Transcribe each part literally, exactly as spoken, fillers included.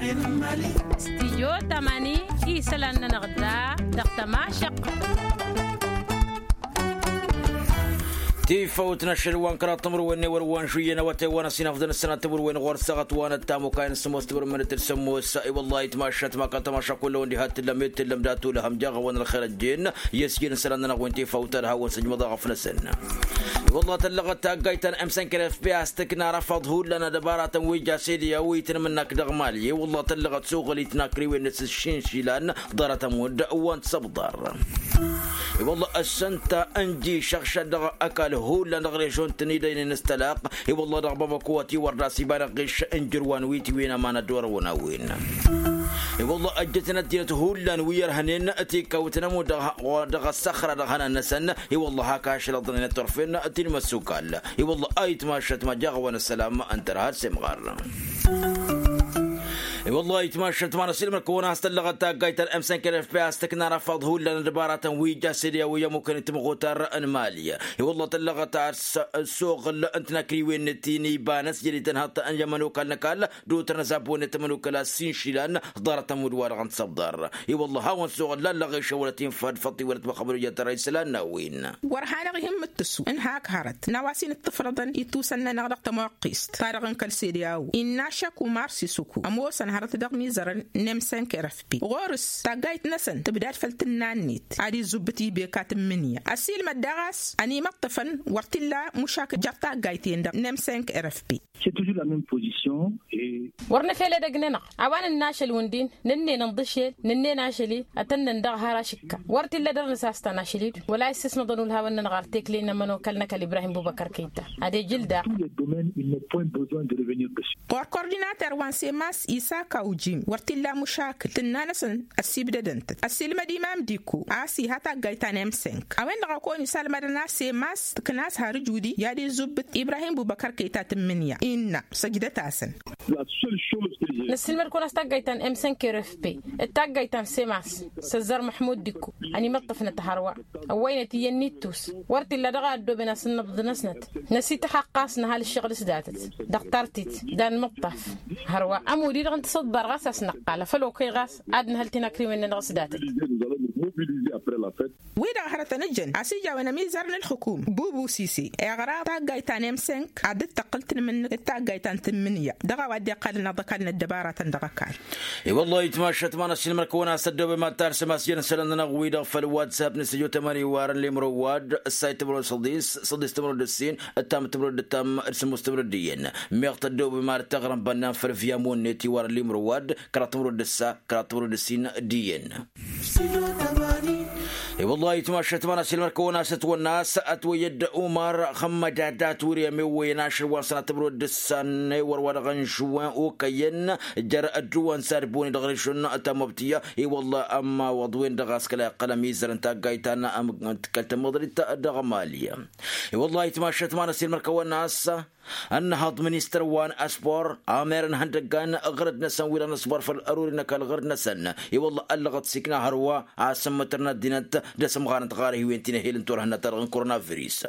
Stijyo tamani isălan-nănăɣ da dăɣ-tămašăqq. Tifawt n-ašăl wa n-kăraḍ timǝrwen n-ewăr wa n-žuyyăn awătay wa n-ăsinafḍăn ǝssănat timǝrwen ɣur-săɣăt wa n-ăttamukay n-sămoos timǝrwen d-sămoos. I-wăllah itmašat ma kăl-tămaša kull-ăwăn diha t-tǝllăm i-t-tǝllăm d-atulăhăm jaɣ-awăn ălxer ăjjeen. I-ăsjed n-isălan-nănăɣ wi n-tifawt ad-hawăn-sǝjmăḍ aɣăf-năsăn. I-wăllah tăllăɣăt taggayt ta n-emsănkăr fp a-s tǝkna arăfaḍ hullan ad-ăbaratăn wi ja s-ed i-a-wa itnǝmǝnnak dăɣ-mali i-wăllah tăllăɣăt s-oɣăl itnakriwen-net s-išinšilan. Ḍarăt ămudd wa n-tisăbḍar. I-wăllah ăssănta ǝnji šăɣšăl dăɣ-ăkall hullan dăɣ-režon-tăn-i dăynen s-tălaq. I-wăllah dăɣ-bamăko a tiwăr d-asibănăɣ ɣiš ǝnjǝr wa n-witwin aman ad-dd-orăwăn a-wen. I-wăllah ăjjătăn ăddinăt hullan wi ărhănen tikawt n-ămudd dăɣ-ăssăxra dăɣ-ihănan-năsăn. I-wăllah hak ašăl ăḍḍănen ăttorfen ti n-imăssukal. I-wăllah a itmašăt ma jaɣ-awăn ăssălam ǝnta ărhad s-imɣar. I-wăllah a itmašăt ma n-ăsilmăr-kăwăn a-s tăllăɣăt taggayt ta n-emsănkăr fp a-s tǝkna arăfaḍ hullan ădbaratăn wi ja s-ed i-a-wa i-ămmukăn timɣutar n-mali. I-wăllah tăllăɣăt a-s s-oɣǝl n-tinakriwen-net ti n-ibanăt jădităn haḍt n-i-ămănokal n-ăkall d-otărăn ăzabon-net ămănokal a-s inšilan. Ḍarăt ămudd-wa-dăɣ n-tisăbḍar. I-wăllah a hawăn-s oɣǝl lallăɣ išăwălăt infad făṭṭ iwălăt măxăbăl ijatăra isălan n-a-wen. Wăr hanăɣ-ihǝmmǝt tǝssu n-hak hărăt n-a-wa s-in-ǝṭṭǝfrăḍăn ittusăn-nănăɣ dăɣ-tămoqqist ta-dăɣ n-kăl-sede a-wen innă ašăk umar s-isǝku ămoosăn hărăt dăɣ-imizărăn n-emsănk rfp ɣur-s taggayt-năsăn tǝbdad făll-tǝnna-net ad-izubbǝt ibeka tǝmmǝnǝya ăssiilmăd daɣ a-s ănimăṭṭăfăn wăr t-illa mušakǝl jer-taggayt-en-dăɣ n-emsănk rfp. Wăr nǝfel edăgg-nănăɣ a-wa nǝnna ašăl wǝndin nǝnnen ǝnḍǝšel nǝnnen ašăl-i ătănnăn dăɣ-har ašǝkka wăr t-illa dăr-nǝsastan ašăl-i-dd wăla issǝsnăḍăn ulhawăn-nănăɣ ar tekle n-ămănokal n-ăkall ibrahim bubăkăr kăyta. Ad-ejǝl daɣ. Ɣur-kordinater wa n-semas isaka ujim wăr t-illa mušakǝl tǝnna-năsăn ăssibdădăn-tăt ăssiilmăd imam diko a-s iha taggayt ta n-emsănk a-wen-dăɣ a kăwăn-isalmădăn a-s semas tǝkna a-s har ǝjudi i-ad-izubbǝt ibrahim bubăkăr kăyta tǝmmǝnǝya innă săjdăt-asăn. Năssiilmăd-kăwăn a-s taggayt ta n-emsănk rfp d-taggayt ta n-semas s-ăzzar măḥmud diko ănimăṭṭăfnăt hărwa ăwwăynăt iyyăn n-ittus wăr t-illa dăɣ-a ăddooben asǝnnăbḍ-năsnăt năsităxăqqas n-ăhal ǝššăɣǝl s-datăt dăɣ-tartit d-anmǝṭṭaf. Hărwa ămud-i-dăɣ n-tisǝḍbar ɣas a-s năqqal afăl okăy ɣas ad-nǝhăl tinakriwen-nănăɣ s-datăt. Wi-dăɣ hărătăn ǝjăn a-s ija a-wen ămizar n-ǝlxǝkum bubu sise iɣra taggayt ta n-emsănk ad-dd-tăqqǝl tǝnmǝnnǝk d-taggayt ta n-tǝmmǝnǝya dăɣ-a-wa dd-iqqalăn aḍăkal n-ăddăbaratăn dăɣ-ăkall. I-wăllah itmašăt ma n-ăssiilmăr-kăwăn a-s ăddoobem ad-tarsăm a-s jăn isălan-nănăɣ-wi-dăɣ făll-whatsapp n-săjo tămăni iwarăn limrăwad ǝssay tămrăwad săḍis săḍis tămrăwad ǝssin ǝttam tămrăwad ǝttam d-sămmus tămrăwad d-iyyăn. Meɣ tăddoobem ad-taɣrăm bănnan făll-viyamo-net iwarăn limrăwad kăraḍ tămrăwad ǝssa kăraḍ tămrăwad ǝssin d-iyyăn. I-wăllah itmašăt ma n-ăssiilmăr-kăwăn a-s ătwănna a-s ătwăyy dd-umar xămmăd ad-dat wăr-i ămewwăyăn ašăl wa n-sănatămrăwad d-ǝssan ewăr wa dăɣ-n žuwăn okăyăn jer-ădduwăn s-ad-boni dăɣ-rǝšun ta n-măbtǝyya. I-wăllah ămmawăḍ-wen-dăɣ a-s kăla iqqăl ămizăr n-taggayt ta n-kăl-tămăḍrit dăɣ-mali. I-wăllah itmašăt ma n-ăssiilmăr-kăwăn a-s ănnăhăḍ ministăr wa n-aspor amer n-ihăndăggan ɣărăd-năsăn wi-dăɣ n-aspor făll-ăruri n-ăkall ɣărăd-năsăn. I-wăllah ăllăɣăt s-ikna hărwa a-s ǝmmǝtăr n-ăddinăt d-asǝmɣanăt ɣarăh-i-wen ti n-ehel n-turhǝnna-ta-dăɣ n-koronavirus.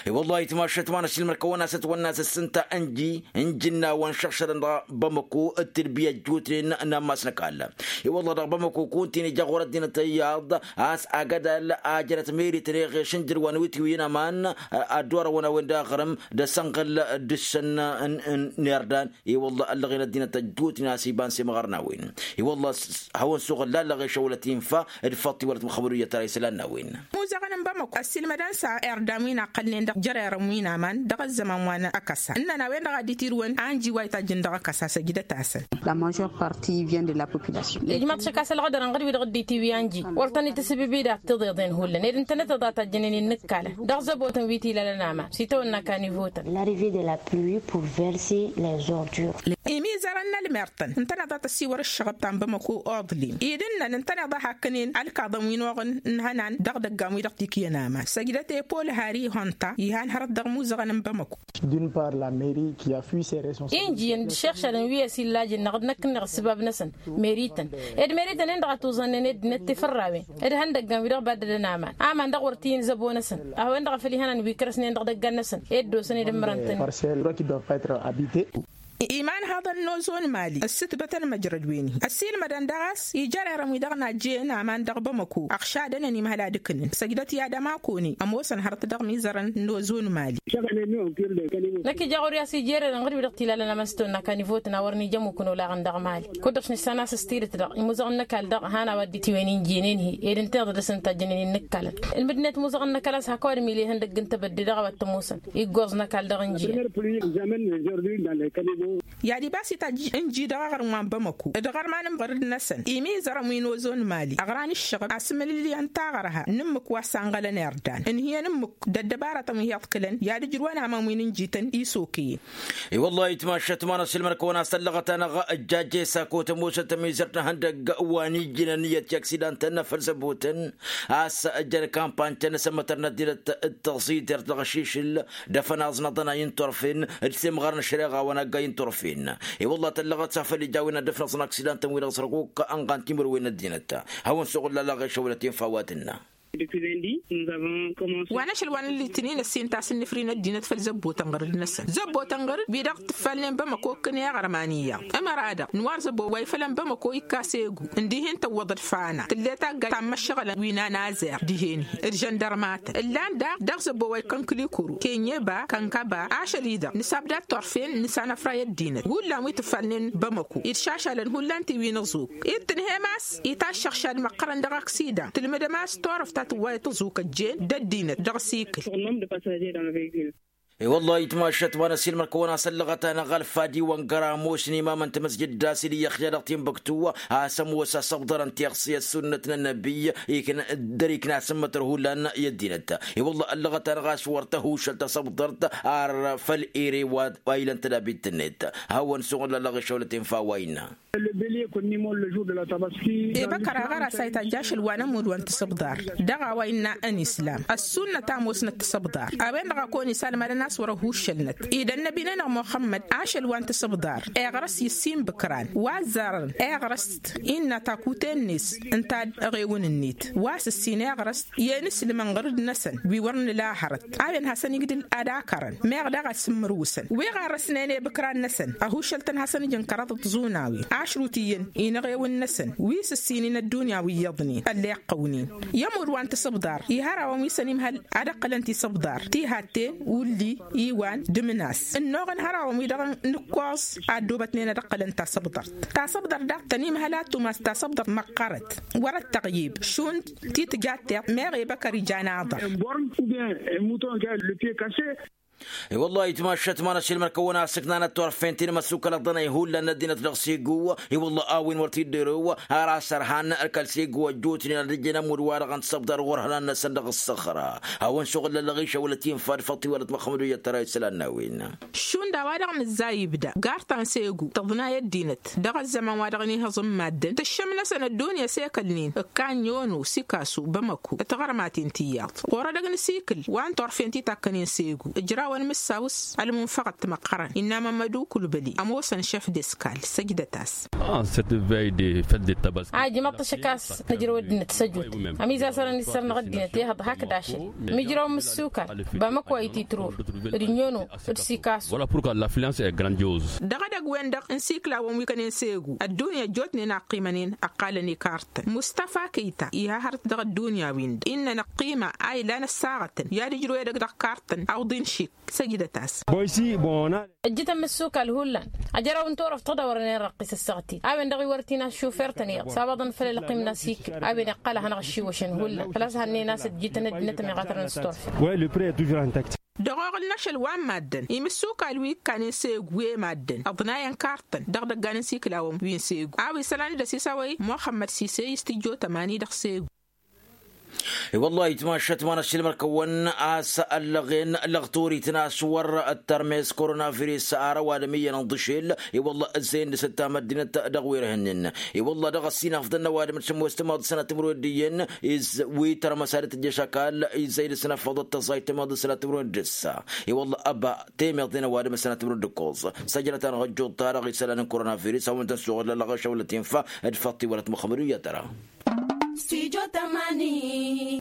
I-wăllah itmašăt ma n-ăssiilmăr-kăwăn a-s ǝssǝnta ǝnji n-ijǝnnawăn šăɣšălăn dăɣ-bamăko d-tilbiya ăjjootnen n-ammas n-ăkall. I-wăllah dăɣ-bamăko kunta-in ija ɣur-ăddinăt iyyăḍ a-s agădal a jănăt merităn eɣeš n-jăr wa n-wi tiwǝyyăn aman ad-dd-orăwăn a-wen d-aɣrǝm d-asănɣăl d-ǝssăn n-irdan. I-wălla ăllăɣen ăddinăt ăjjootnen a-s iba n-semɣărnawen. I-wălla hawăn-suɣǝl lallăɣ ešăwălăt infa d-faḍt iwălăt măxăbăd wi jăt tăra isălan n-a-wen. Imuzăɣăn n-bamăko ăssiilmădăn s-irdan wi n-aqqălnen dăɣ-jărerăn wi n-aman dăɣ-ăzzăman wa n-ăkăsa ǝnnăn a-wen-dăɣ a dd-itirǝwăn anji wa itajjăn dăɣ-ăkăsa săjdăt-asăn. La majeure partie vient de la population. Ijmaḍ šăkasăl ɣădărăn ɣǝd-wi-dăɣ dd-itiwi anji wăr tăn-itǝsǝbǝbi dat-tiḍeḍen hullan ed ǝntănăt iḍa tajjănen innǝkkalăn dăɣ-zăbotăn wi t-ilalăn aman s-itawănna kanivotăn. L'arrivée de la pluie pour verser les ordures. Imizărăn n-ălmertăn ǝntăneḍ a tăsiwăr ǝššăɣăb ta n-bamăko oḍlim idǝnnăn ǝntăneḍ a hakkănen ălkaḍăn wi n-oɣǝl n-ihănan dăɣ-idăggan wi-dăɣ tikǝyăn aman săjdăt i-pol hari honta ihan hărăt dăɣ-imuzăɣăn n-bamăko. Injǝyăn d-iššăɣšălăn wi ăsillajăn năɣ d-năkk-năɣ ǝssǝbab-năsăn merităn ed merităn-en-dăɣ a tuẓănnen ăddinăt tifărrawen d-ihăndăggan wi dăɣ-baddădăn aman aman dăɣ-wăr t-iyyăn zăbo-năsăn a hawăn-dăɣ a făl ihănan wi kărăsnen dăɣ-idăggan-năsăn ed dd-osăn ed ǝmmărăn-tăn. Parcelle qui doivent pas être habitées. Iman haḍăn n-ozon mali ǝssǝtbătăn măjrăd-wen-hi ăssiilmădăn dăɣ-a-s ija ărerăn wi-dăɣ n-ajjăyăn aman dăɣ-bamăko ăɣšadănăn imhăl ad-ǝkǝnǝn săjdăt i-ad-ămakoni ămoosăn hărăt dăɣ-imizărăn n-ozon mali. Năkk ija ɣur-i a-s ija ererăn ɣǝd-wi-dăɣ t-ilalăn amănstăwăn n-akanivotăn a wărăn ija ămmukǝn olaɣăn dăɣ-mali. Kud-dăɣ s-nissan a-s s-tidǝt-dăɣ imuzăɣăn n-ăkall dăɣ-han a-wa dd-itiwen injiyăn-en-hi ed ǝnta iḍa dăr-s ǝnta a jănen innǝkkalăn. Ǝlmǝdnet imuzăɣăn n-ăkall a-s hak ăwadǝm ile ihăndăgg n-tebădde dăɣ-a-wa t-ămoosăn iggoẓ n-ăkall dăɣ-injiyăn. I-ad-ibas itajj ǝnji dăɣ-aɣrǝm wa n-bamăko d-iɣărman n-iɣărd-năsăn imizărăn wi n-ozon mali ăɣran ǝššăɣǝb asǝmǝlǝlyan taɣărha n-ǝmmǝk wa s-anɣălăn irdan ǝnhǝyăn ǝmmǝk d-ăddăbaratăn wi hi-iḍkǝlăn i-ad-ǝjrǝwăn aman wi n-ǝnjităn isokăyăn. I-wăllah itmašat ma n-asǝlmăn kăwăn-asăllăɣăt-anăɣ ăjjajj esako tămoosăt tămizărt n-ihăndăgg wa n-ijjǝnăn i-ătiaksidan-tăn făll-zăbotăn a-s ăjjăn kampany-tăn n-asǝmmătăr n-ăddinăt d-tăẓidert dăɣ-ašišǝl d-afănaẓ n-aḍănay n-turfen d-semɣar n-ašăreɣa wa n-aggay n-turfen. I-wăllah tăllăɣăt s-afăl ija a-wen ad-dd-ăfnăẓăn aksidan-tăn-wi-dăɣ s-răɣuk ănɣan timǝrwen n-ăddinăt. Hawăn-suɣǝl lălăɣ i-šăwlăt infa wa tǝnna. Wa n-ašăl wa n-ăllitnin ăssintas ǝnnǝfri n-ăddinăt făll-zăbbotăn ɣărăd-năsăn zăbbotăn ɣărăd wi-dăɣ tǝffalnen bămăko ǝkkǝn i-aɣrăman iyyăḍ. Ămăra-dăɣ n-war zăbbo wa ifălăn bămăko ikka s-egu ǝndihen tăwwăḍăd fana tǝlle taggayt ta n-imăššăɣǝlăn wi n-anazer dihen-hi d-žăndărmatăn ǝllan daɣ dăɣ-zăbbo wa ikkăn kǝlikuru kenyeba kănkăba ašăl-i-dăɣ nǝsabda d-turfen nǝsanăfray ăddinăt hullan wi tǝffalnen bămăko idšašalăn hullan ti wi n-aẓuk. Id-tǝnhem a-s itaššăɣšad măqqărăn dăɣ-aksidan tǝlmǝdăm a-s turăft ta tǝwwayăt aẓuk ăjjeen d-ăddinăt dăɣ-asikǝl. I-wăllah itmašat ma n-ăsiilmăr-kăwăn asăllăɣăt-anăɣ ălfadi wa n-găramos n-imam n-tamăzjǝd d-asil iyyăx ja dăɣ-tinbăktu a-s ămoos asăbḍăr n-tiɣsi ăssunnăt n-ănnăbi ikna dăr-ikna asǝmmătăr hullan i-ăddinăt. I-wăllah ăllăɣăt-anăɣ a-s wăr tăhušăl tasăbḍărt ar făll-ere wa ilăn tădabit-net. Hawăn-suɣǝl ăllăɣ išăwlăt infa wa innă. Ebăkăr aɣăras a itajj ašăl wa n-ămudd wa n-tasăbḍar dăɣ-a-wa innă ănislam ăssunnăt a ămoosnăt tasăbḍar. A-wen-dăɣ a kăwăn-isalmadăn a-s wăr-ăhuššălnăt ed ănnăbi-nănăɣ muxămmăd ašăl wa n-tasăbḍar iɣrăs i-ǝssin bǝkran wa ăzzarăn iɣrăst innă takuten-net ǝnta d-eɣewăn-net wa s-ǝssin iɣrăst i-enǝslǝmăn ɣăr-dd-năsăn wi wăr nǝla hărăt. A-wen hasăn-igdǝl ad-akărăn meɣ daɣ a s-ǝmmărwǝsăn wi ɣarrăsnen i-bǝkran-năsăn ăhuššăl-tăn hasăn-ǝjǝn kăraḍăt tiẓunawin ašrut iyyăn inăɣewăn-năsăn wi s-ǝssinen ăddunya wi iyyăḍnen ălleɣ. Ăqqăwnen i-ămudd wa n-tasǝbḍar iha arrawăn wi s-ănimhăl ad-ăqqălăn tisǝbḍar tihatten ulli iwan d-imnas ǝnnuɣăn hărrawăn-wi-dăɣ n-ǝkkoẓ a ăddoobătnen ad-ăqqălăn tasǝbḍart. Tasǝbḍart daɣ tănimhăl ad-tumas tasǝbḍart măqqărăt wăr-ăttăɣyeb šund ti tǝja tiṭ meɣ ebăkăr ija n-aḍăr. I-wăllah itmašat ma n-ăsilmăr-kăwăn-asǝknanăt turfen ti n-imăssukăl ăḍḍănăy hullan n-ăddinăt dăɣ-segu. I-wăllah a-wen wăr t-dd-erăw har a-s ărhan ălkăl segu ăjjootnen ad-ǝjjǝn ămudd-wa-dăɣ n-tasăbḍar ɣur-ihănan-năsăn dăɣ-ǝssăxra. Hawăn-suɣǝl lălăɣ išăwlăt infa d-făḍt iwălăt măxmăd u-iyyăt tăra isălan n-a-wen. Šund a-wa-dăɣ nǝzzay ibda gartan s-egu tǝḍnay ăddinăt dăɣ-ăzzăman wa dăɣ-nihǝẓǝn maddǝn tǝššǝm-năsăn ăddunya s-ekălnen ǝkkan yono sikasu bamăko d-tiɣărmaten ti iyyăḍ ɣur-edăgg n-asikǝl wa n-turfen ti takkănen s-egu. Ǝjrawăn mǝssaw s-ălmunfăɣăt timăqqărăn innă mămmădu kulbăli ămoosăn šef d-eskal săjdăt-as. A ijmăḍ-t ašăk a-s nǝjrăw ăddinăt s-ăjut ămizazărăn isăr-năɣ ăddinăt ehăḍ hakd ašăl mijrăw mǝssukan bamăko a ititrur d-nyono d-sikasu. Dăɣ-edăgg-wen-dăɣ n-siklawăn wi kănen s-egu ăddunya ăjjootnen a ăqqimănen ăqqalăn ikartăn mustăfa kăyta iha hărăt dăɣ-ăddunya-win-dăɣ innă năqqima a ilan ăssaɣătăn i-ad-ǝjrǝw edăgg dăɣ-kartăn awḍin šik. Săjdăt-as. Ǝjjǝtăn mǝssukal hullan ajăraw n-turăft tădawărnen răqqis ăssaɣăt-in a-wen-dăɣ iwărăt-in a-s šufer-tăn iyyăḍ s-abăḍăn făll-ălqim n-asikǝl a-wen iqqăl ad-hanăɣ-ăššiwăšăn hullan făl-a-s hănnen a-s ǝjjǝtăn ăddinăt ămiɣatărăn s-turfen. Dăɣ-oɣǝl n-ašăl wa n-maddǝn imǝssukal wi ǝkkanen s-egu i-maddǝn ăḍnayăn kartăn dăɣ-idăggan n-isiklawăn wi n-segu a-wa isălan d-ăsisawăy muxămmăd sise i-s tǝjjo tămani dăɣ-segu. I-wăllah itmašat ma n-ăššilmăr-kăwăn a-s ăllăɣen lăɣ torităn a-s wăr ăttărmes koronavirus ar ăwadǝm iyyăn ănḍǝšel. I-wăllah ǝzzăyăn dăɣ-s ǝttam ăddinăt dăɣ-wer hǝnnin. I-wăllah dăɣ-ăssinafḍăn n-ăwadǝm d-sǝmmos tămaḍ d-sănat timǝrwen d-iyyăn iz wi tărmăs ad-tǝjjăš ăkall izzăy dăɣ-s năfăḍăt tăẓayt tămaḍ d-sănat timǝrwen d-ǝssa. I-wăllah ăba temeḍe n-ăwadǝm d-sănat timǝrwen d-ǝkkoẓ săjdăt-anăɣ ăjjuḍ-ta-dăɣ isălan n-koronavirus a-wen-dăɣ n-suɣǝl ăllăɣ ašăwălăt infa d-făṭṭ iwălăt măxmăd u-iyyăt ăra. Stujo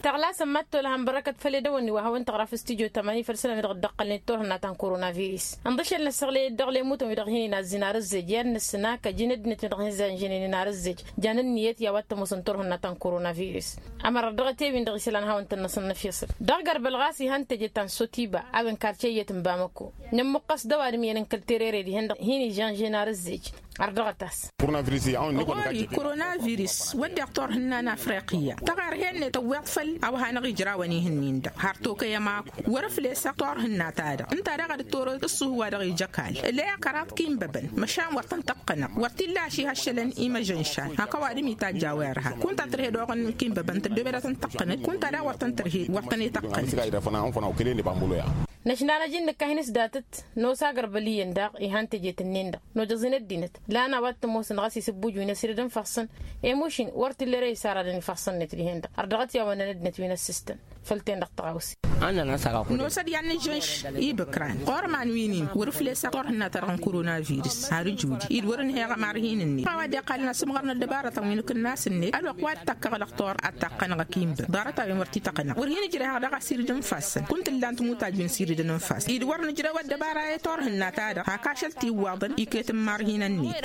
Tăɣlasăn mad-tolăhăn bărăkăt făll-edăwănni wa hawăn-tăɣra f-studyo tămani făll-isălan wi dăɣ-dd-ăqqălnen turhǝnna ta n-koronavirus. Ǝnḍǝšăl n-ăssăɣlăy-dd dăɣ-lemutăn wi dăɣ-hin-inazzǝn ar ǝzzej i-ad-nǝssǝn ak ăjin ăddinăt wi dăɣ-hin-zanžănen inarǝzzej. Jan ǝnniyăt i-a-wa t-ămoosăn turhǝnna ta n-koronavirus. Ămăra dăɣ-t e-win-dăɣ isălan hawăn-tăn-năsăn n-efyăṣăl dăɣ-garbăl ɣas ihăn teje ta n-sotiba a-wen karce iyyăt n-bamăko. Nǝmmǝqqăs d-ăwadǝm iyyăn n-kăl-terere dihen-dăɣ hin-ižănžen ar ǝzzej. Ărdăɣăt-as. Ɣur-i koronavirus wădden turhǝnna n-afriqiyya tăɣerhe-net ăwweḍ făll-a-wa hanăɣ-ijrawăn ihǝnnin-dăɣ har tokăyăm akuk wăr-ǝflesăɣ turhǝnna-ta-dăɣ ǝnta daɣ a dd-toro ǝṣṣuhu wa dăɣ-ija ăkall ǝlleɣ kăraḍ kinbăbăn măšan wăr tăn-tăqqănăɣ wăr t-illa ašihăššălăn imăžănšan hak ăwadǝm itajj a-wa irha kunta tărhe doɣăn kinbăbăn tăddoobed ad-tăn-tăqqănăt kunta daɣ wăr tăn-tărhe wăr tăn-ităqqănăt. Năšnanăj-in nǝkka hin-s datăt nos agărbăl iyyăn daɣ ihan tejet-ǝnnin-dăɣ nojăẓ-in ăddinăt lan a-wa t-ămoosăn ɣas isǝbbuj wi n-asirǝd n-ifassăn. Emuš-in wăr t-illa ere isaradăn ifassăn-net dihen-dăɣ har dăɣ-t i-awănnăn ăddinăt wi n-ăssistăn. Făll-ten-dăɣ tăɣawse. Nosăd i-ad-nǝžžănš ibǝkran ɣur-iman wi-nin wăr-ǝflesăɣ turhǝnna-ta-dăɣ n-koronavirus har ǝjudǝy-dd wăr-ǝnheɣ ămarhin-net a-wa dd-iqqalăn asǝmɣăr n-ăddăbarătăn wi n-akǝnnas-net ălwăqq wa d-takkăɣ lăqtor ad-taqqănăɣ ăkinbăd ḍarăt-a-wen wăr t-ităqqănăɣ wăr hin-ǝjrehăɣ dăɣ-asirǝd n-ifassăn kunta ǝllan timutaj wi n-sirǝdăn n-ifassăn-i d-wăr nǝjrăw ăddăbara i-turhǝnna-ta-dăɣ hak ašăl tiwwaḍăn iket n-imarhinăn-net.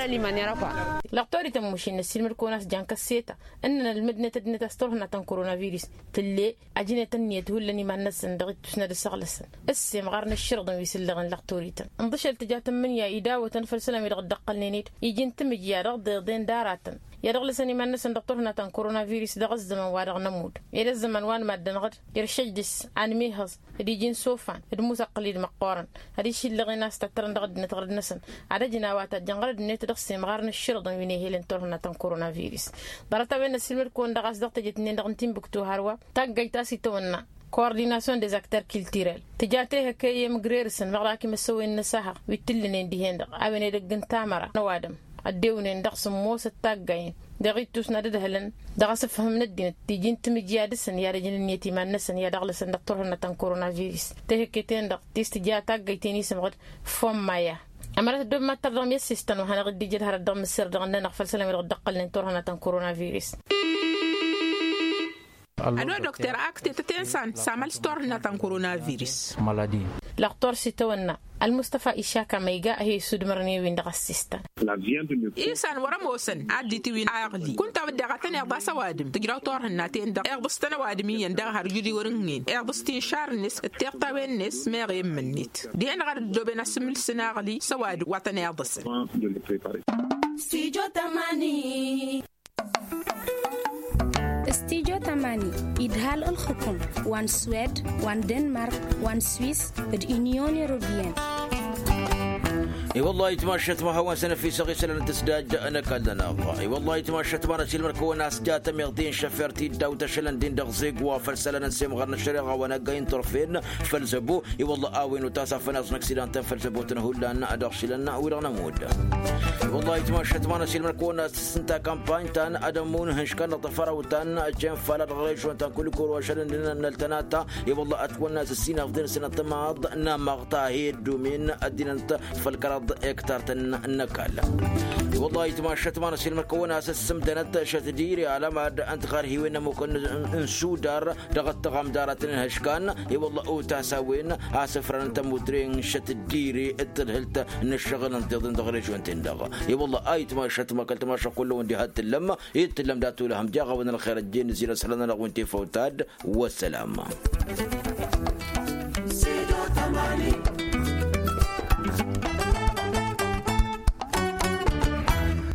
Lăqtor-i tămmušin năssiilmăd-kăwăn a-s jan kăsseta ǝnnăn ălmǝdnet ăddinăt a-s turhǝnna ta n-koronavirus tǝlle. Ajǝnet ǝnniyăt hullan iman-năsăn dăɣ-ittus n-ad-ǝssăɣlăsăn ǝssemɣar n-ǝššǝrǝḍăn wi s-ǝllăɣen lăqtor-ităn ǝnḍǝšăl tǝja tǝmmǝnǝya idawătăn făll-isălan wi dăɣ-dd-ăqqălnen-dd iji n-timǝjja dăɣ-deḍen d-aratăn i-ad-ăɣlăsăn iman-năsăn dăɣ-turhǝnna ta n-koronavirus dăɣ-ăzzăman wa dăɣ-nămudd ed ăzzăman wa n-mad-dănɣăd iršăjdǝs anmihăẓ d-iji n-sofan d-musăqqǝlid măqqoorăn ad-išillăɣen a-s tattărăn dăɣ-ăddinăt ɣărăd-năsăn ad-ăjǝn a-wa tajjăn ɣărăd-net dăɣ-semɣar n-ǝššǝrǝḍăn wi n-ehălăn turhǝnna ta n-koronavirus. Ḍarăt-a-wen năssiilmăd-kăwăn dăɣ-a-s dăɣ-tejet-nin-dăɣ n-tinbǝktu hărwa taggajt a-s itawănna coordinasyon des aktăr kiltirel tǝja tehăkăy i-imǝgrerǝsăn măɣra akimăsăwen n-asăhăɣ wi t-ǝllǝnen dihen-dăɣ a-wen edăgg n-tamăra n-ăwadǝm ăddewnen dăɣ-sǝmmosăt taggayen dăɣ-ittus n-ad-ǝdhǝlăn dăɣ-asǝfhǝm n-ăddinăt tiji n-timǝjja dăɣ-săn i-ad-ăjǝn ǝnniyăt iman-năsăn i-ad-ăɣlăsăn dăɣ-turhǝnna ta n-koronavirus. Tehăkket-en-dăɣ ti s-tǝja taggajt-en isǝmɣǝd fomma ya. Ămărat ăddoobem ad-tărdăɣ mi-ăssistăn wa hanăɣ-dd-ija d-hărăt dăɣ-mǝsserdăɣ ănnănăɣ făll-isălan wi dăɣ-dd-ăqqălnen turhǝnna ta n-koronavirus. Ăddookter a ǝktetăt i-insan s-amăl s-turhǝnna ta n-koronavirus. Lăqtor s-itawănna ălmustăfa išaka ma iga a hi-isudmărăn i-win-dăɣ ăssistăn. Isan wăr-ămoosăn ad-dd-itǝwin aɣli kunta wădden a tăn-iḍas ăwadǝm tǝjraw turhǝnna-ten-dăɣ iḍǝstăn ăwadǝm iyyăn daɣ har judi wăr-ǝnhǝyăn iḍǝst inšar-net d-tiṭṭawen-net meɣ i-immǝn-net dihen-dăɣ ad-ăddooben asǝmmǝlsăn aɣli s-ăwadǝm wa tăn-iḍǝsăn. Studio tamani idhal ǝlxǝkum wa n-swed wa n-denmark wa n-swis d-inyon europiyăn. I-wăllah ayǝtmašat ma hawăn-săn ăfisăɣ isălan n-tǝsdajja n-ăkall-nănăɣ. I-wăllah ayǝtmašat ma n-ăsilmăr-kăwăn a-s jatăm iḍin šăfer ti dd-awt ašălăn din dăɣ-zeg wa făll-isălan n-semɣar n-ăššăreɣa wa n-aggay n-turfen făll-zăbo. I-wăllah a-wen utas afăn aẓ n-aksidan-tăn făll-zăbo-tăn hullan dăɣ-išilăn wi-dăɣ nămudd. I-wăllah ayǝtmašat ma n-ăsilmăr-kăwăn a-s tǝssǝnta kampany ta n-ad-ămmun ihǝnškăn dăɣ-tafărawt ta n-cen fala dăɣ-režyon ta n-kulikoro ašăl n-dinăn n-ăltănata. I-wălla ătwănna s-ǝssin afḍen s-inăṭṭămaḍ n-amăɣ ta he-ăddumin ăddinănt făll-kăraḍ ektar-tăn n-ăkall. I-wălla ayǝtmašat ma n-ăsilmăr-kăwăn a-s ǝssǝmdănăt šăt diri alămad n-tiɣarhiwen n-ămmukăn n-sudar dăɣ-ăttăɣam d-aratăn n-ihăškan. I-wălla otas a-wen a-s ăfrănăn tămutren šăt diri d-tadhǝlt n-ǝššăɣǝl n-tiḍen dăɣ-režyon-ten-dăɣ. I-wălla ayǝtmašat ma kăl-tamašăɣ kull-wăn diha d-tǝllăm. Ed tǝllăm dat-olăhăm jaɣ-awăn ălxer ăjjeen ǝzzin asălan-nănăɣ wi n-tifawt ad-wăssălam.